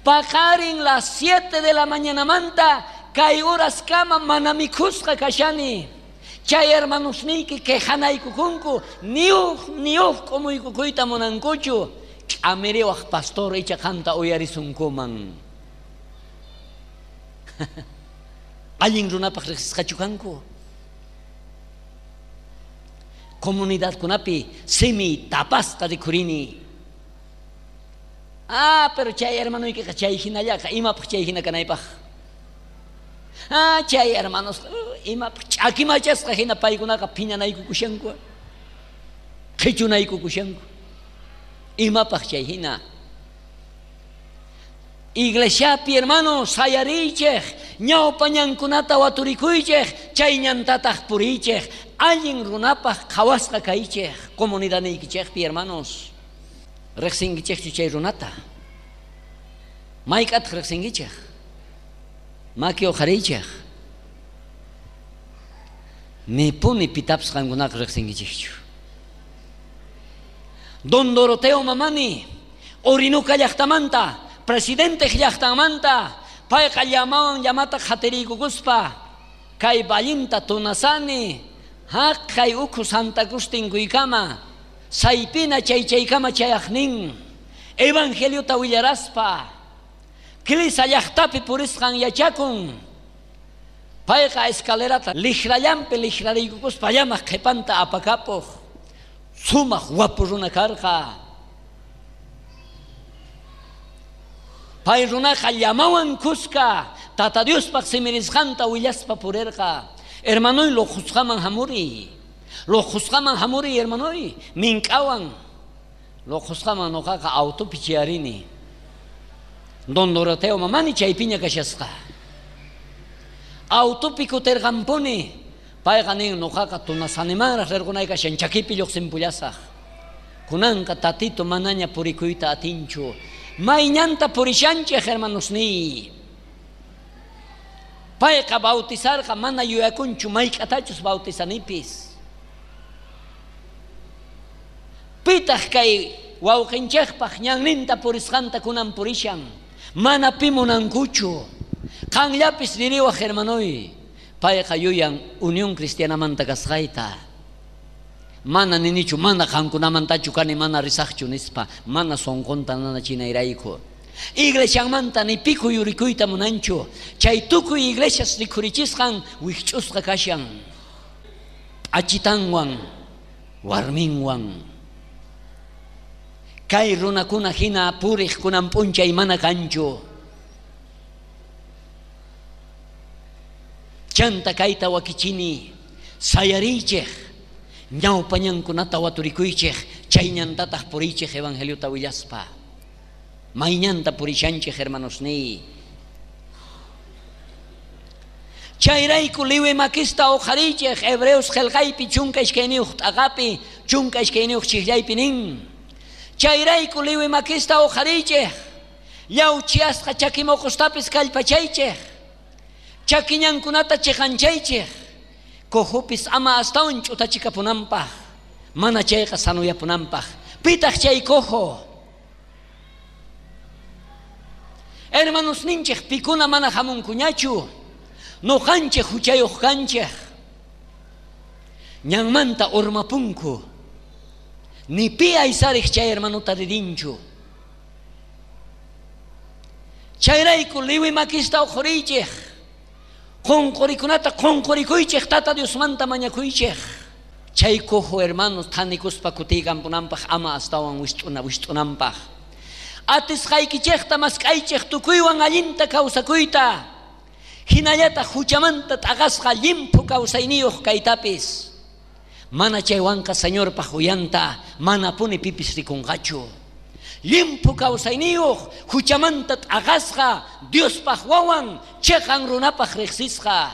Paqarin las siete de la mañanamanta, kay horaskama mana mikhusqa kashani. Chay hermanosniyki quejanaykukunku, niuj, niuj k'umuykukuyta munankuchu. K'amiriwaj pastor icha qanta uyarisunkuman. Allin runapaj riqsisqachu kanku. Comunidadkunapi simi tapasqa rikhurini. Ah, pero chay hermanoykiqa chay hinallaqa, imapaj chay hina kanaypaj. Ah, chay hermanos, imapaj ch'akimachasqa hina paykunaqa phiñanaykukushanku, qhichunaykukushanku. Imapaj chay hina. Iglesiapi hermano, sayarichej, ñawpa ñankunata waturikuychej, chay ñantataq purichej, allin runapaj qhawasqa kaychej, comunidadniykichejpi hermanos. Riqsinkichejchu chay runata? Mayk'ataq riqsinkichej? Maki uqhariychej. Nipuni pitapis qankunaqa riqsinkichejchu. Don Doroteo Mamani, Orinuka llaqtamanta, presidente llaqtamanta, payqa llamawan llamata qatiriykukuspa, kay vallinta tunasani, haqay ukhu Santa Cruz tinkuykama, saypina chay chaykama chayaqnin, evangeliota willaraspa, Kilisa llaqtapi purisqan yachakun. Payqa escalerata lijrallampi lijrariykukuspa llamaq qhipanta apakapuq. Sumaq wapu runa karqa. Pay runaqa llamawan kuska Tata Diospaq simirisqanta willaspa purirqa. Hermanoy, luqhusqaman hamuri. Luqhusqaman hamuri, hermanoy, mink'awan. Luqhusqaman nuqaqa autopi chiyarini. Don Doroteo Mamani chaypiña kashasqa. Autopi kutirqanpuni. Payqa nin nuqaqa tunasanimanraq rirqunay kashan chakipi lluqsinpullasaq. Kunanqa tatito manaña purikuyta atinchu. Mayñanta purishanchej, hermanosniy. Payqa bautizarqa mana yuyakunchu mayk'atachus bautizanipis. Pitaq kay wawqinchejpaq ñanninta purisqanta kunan purishan. Mana pi munankuchu. Qanllapis ririwaj, hermanoy. Payqa yuyan Unión Cristianamanta kasqayta. Mana ninichu, mana qankunamantachu kani, mana risaqchu nispa, mana sonqonta nanachinayrayku. Iglesianmanta ni piku yurikuyta munanchu. Chay tukuy iglesias rikhurichisqan wikch'usqa kashan. Achitanwan, warminwan. Kay runakuna hina puriq kunan p'unchay mana kanchu. Chanta kayta wakichini, sayarichej, ñawpa ñankunata waturikuychej, chay ñantataq purichej evangeliota willaspa. Mayñanta purishanchej, hermanosniy. Chayrayku liwi makista uqharichej, Hebreos qillqaypi chunka iskayniyuq t'aqapi, chunka iskayniyuq chijllaypi nin. Chayrayku liwi makista uqharichej, llawchiasqa chakimoqostapis kallpachaychej, chakiñankunata chiqanchaychej, cojupis ama astawan ch'utachikapunanpaj, mana chayqa sanuyapunanpaj. Pitaq chay cojo? Hermanos ninchej pikuna mana hamunkuñachu. Noqanchej huchayuq kanchej. Ñanmanta urmapunku. Ni pi aysarej chay hermanuta ririnchu. Chayrayku liwi makista uqhuriychej. Qunqurikunata qunqurikuychej tata Diosmanta mañakuychej. Chay cojo hermanos thanikuspa kutiykanpunanpaj ama astawan wist'una wist'unanpaj. Atisqaykichejta mask'aychej tukuywan allinta kawsakuyta. Hinallata huchamanta t'aqasqa llimphu kawsayniyuq kaytapis. Mana chaywanqa Señorpaj uyanta manapuni pipis rikunqachu. Llimphu kawsayniyuq huchamanta t'aqasqa Diospaj wawan cheqan runapaj riqsisqa.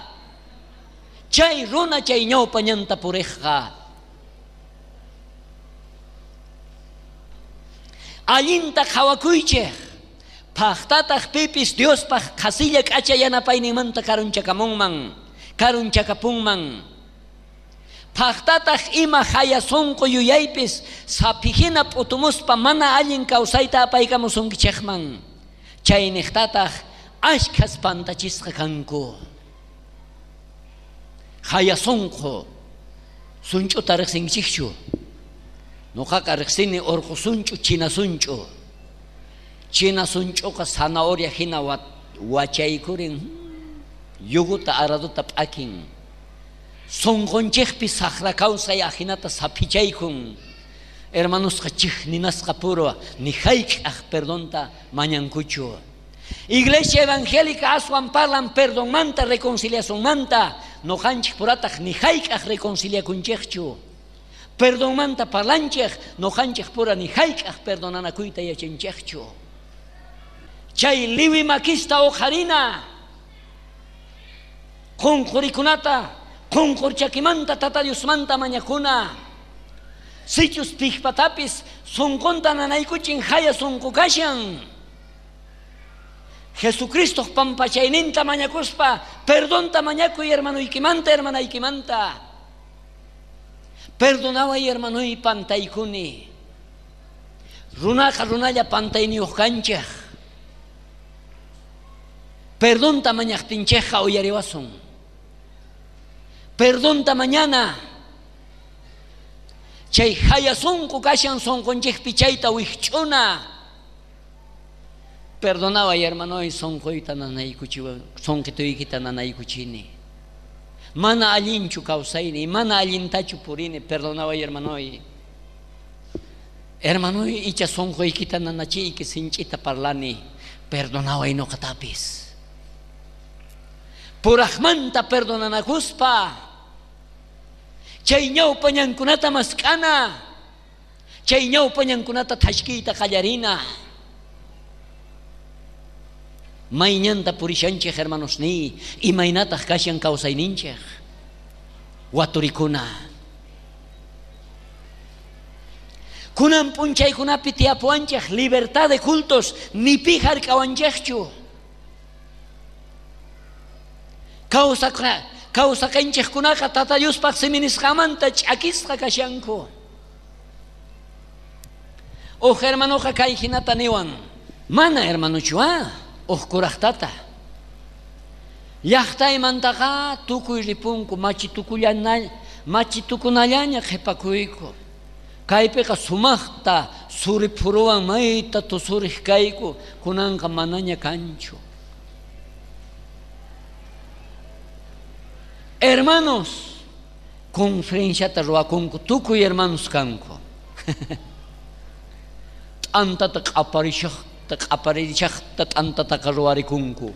Chay runa chay ñawpa ñanta purejqa. Allinta qhawakuychej. Pajtataq pipis Diospaj qhasilla k'acha yanapayninmanta karunchakamunman, karunchakapunman. Pajtataq ima haya sunqu yuyaypis saphijina p'utumuspa mana allin kawsayta apaykamusunkichejman. Chayniqtataq ashkhas pantachisqa kanku. Haya sunqu sunch'uta riqsinkichikchu. Noqaqa riqsini urqu sunch'u china sunch'u. China sunch'uqa zanahoria hina wachaykurin yuguta araduta p'akin. Sunqunchejpi saqra kawsay ajinata saphichaykun. Hermanosqa chijninasqa puro ni hayk'aj perdonta mañankuchu. Iglesia evangélica aswan parlan perdonmanta reconciliacionmanta noqanchej purataq ni hayk'aj reconciliakunchejchu. Perdonmanta parlanchej noqanchej pura ni hayk'aj perdonanakuyta yachanchejchu. Chay liwi makista uqharina. Qunqurikunata qunqurchakimanta tata Diosmanta mañakuna. Sichus pijpatapis sunqunta nanaykuchin haya sunqu kashan. Jesucristo pampachayninta mañakuspa perdonta mañakuy hermanuykimanta hermanaykimanta. Perdonaway hermanuy pantaykuni. Runaqa runalla pantayniyuq kanchej. Perdonta mañaqtinchejqa uyariwasun. Perdonta mañana. Chay haya sunqu kashan sunqunchejpi chayta wikch'una. Perdonaway hermanoy sunquyta nanaykuchiwa sunqituykita nanaykuchini. Mana allinchu kawsayni, mana allintachu purini, perdonaway hermanoy. Hermanoy icha sunquykita nanachiyki sinch'ita parlani, perdonaway noqatapis. Purajmanta perdonanakuspa. Chay ñawpa ñankunata mask'ana. Chay ñawpa ñankunata thashkiyta qallarina. Mayñanta purishanchej hermanosniy, imaynataq kashan kawsayninchej. Waturikuna. Kunan p'unchaykunapi tiyapuwanchej libertad de cultos ni pi hark'awanchejchu. Kawsaqanchejkunaqa tata Diospaj siminisqamanta ch'akisqa kashanku. Uj hermanoqa kay hinata niwan. Mana hermanuchu ah, uj kurajtata. Llaqtaymantaqa tukuy ripunku machitukullana machitukunallaña qhipakuyku. Kaypiqa sumaqta suriphuruwan mayta tusurej kayku kunanqa manaña kanchu. Hermanos, conferenciata ruwakunku tukuy hermanos kanku. T'antata q'aparishaqta q'aparishaqta t'antataqa ruwarikunku.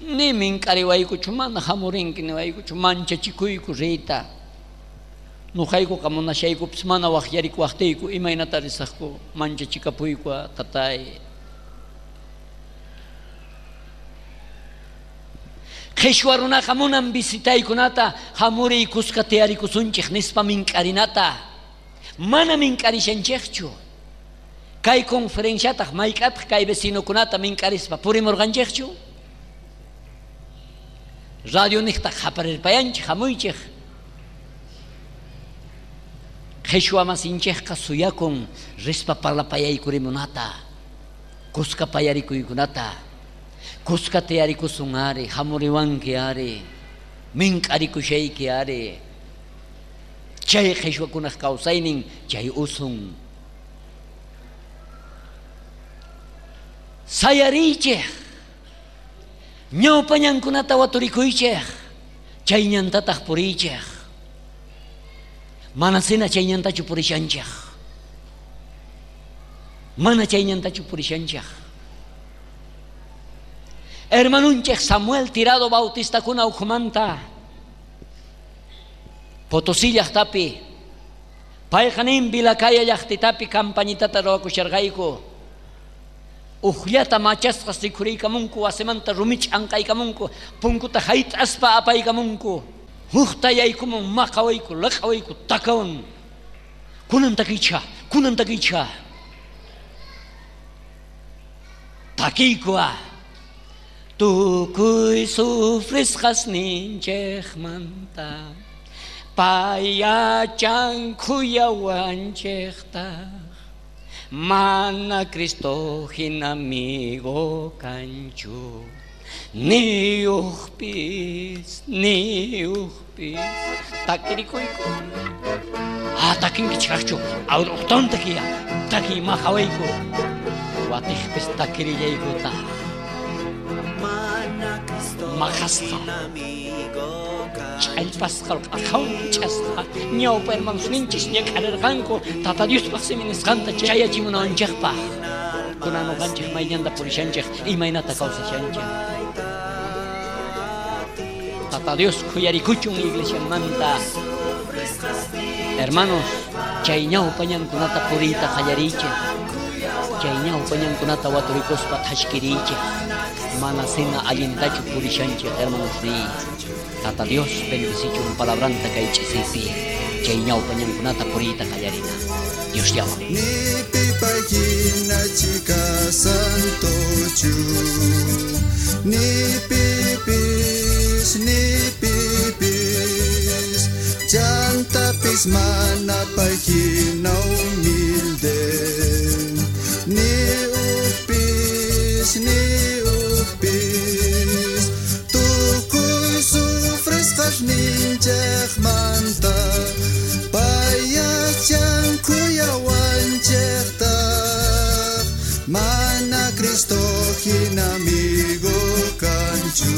Ni mink'ariwaykuchu mana hamurinki niwaykuchu manchachikuyku riyta. Nuqaykuqa munashaykupis mana waqyarikuwaqtiyku imaynata risaqku manchachikapuyku tatay. Qhishwa runaqa munan visitaykunata hamuriykusqa tiyarikusunchej nispa mink'arinata. Mana mink'arishanchejchu. Kay conferenciataq mayk'ataq kay vecinokunata mink'arispa purimurqanchejchu. Radio niqtaq qaparirpayanchej hamuychej. Qhishwa masinchejqa suyakun rispa parlapayaykurimunata. Kuska payarikuykunata. Kuska tiyarikusun ari, hamuriwanki ari, mink'arikushayki ari. Chay qhishwakunaq kawsaynin chay usun. Sayariychej, ñawpañankunata waturikuychej, chay ñantataq puriychej. Mana sina chay ñantachu purishanchej. Mana chay ñantachu purishanchej. Hermanunchej Samuel Tirado Bautista kuna ukhumanta Potosí llaqtapi payqa nin Vilacaya llaqtitapi campañitata ruwakusharqayku. Ujllata machasqas rikhuriykamunku wasimanta rumich anqaykamunku punkuta hayt'aspa apaykamunku hukta yaykumun maqawayku laqawayku takawan kunan takicha kunan takicha takiykua tukuy sufrisqasninchejmanta payachan khuyawanchejta mana Cristo hina amigo kanchu ni ujpis ni ujpis takirikuyku ah takinkichikaqchu awrujton takiya taki maqawayku watijpis takirillaykuta maqasqa ch'allpasqa q'aqhawan ch'asqa ñawpa hermanosninchis ñak'arirqanku Tata Diospaq simi nisqanta chayachimunawanchikpaq kunan uqanchik mayñanta purishanchik imaynata kawsashanchik. Tata Dios khuyarikuchun iglesiamanta. Hermanos, chay ñawpa ñankunata puriyta qallariychik, chay ñawpa ñankunata waturikuspa thashkiriychik. Mana sina allintachu purishanchik hermanos ni. Tata Dios bendicichun palabranta kay ch'isipi chay ñawpa ñankunata puriyta qallarina. Dios llama. Ni pipayhina chika santochu, ni pipis, ni pipis, chantapis mana payhina humilde, ni upis, ni upis, tukuy sufrisqasninchejmanta payachan khuyawanchejtaj, mana Cristo hina amigo kanchu,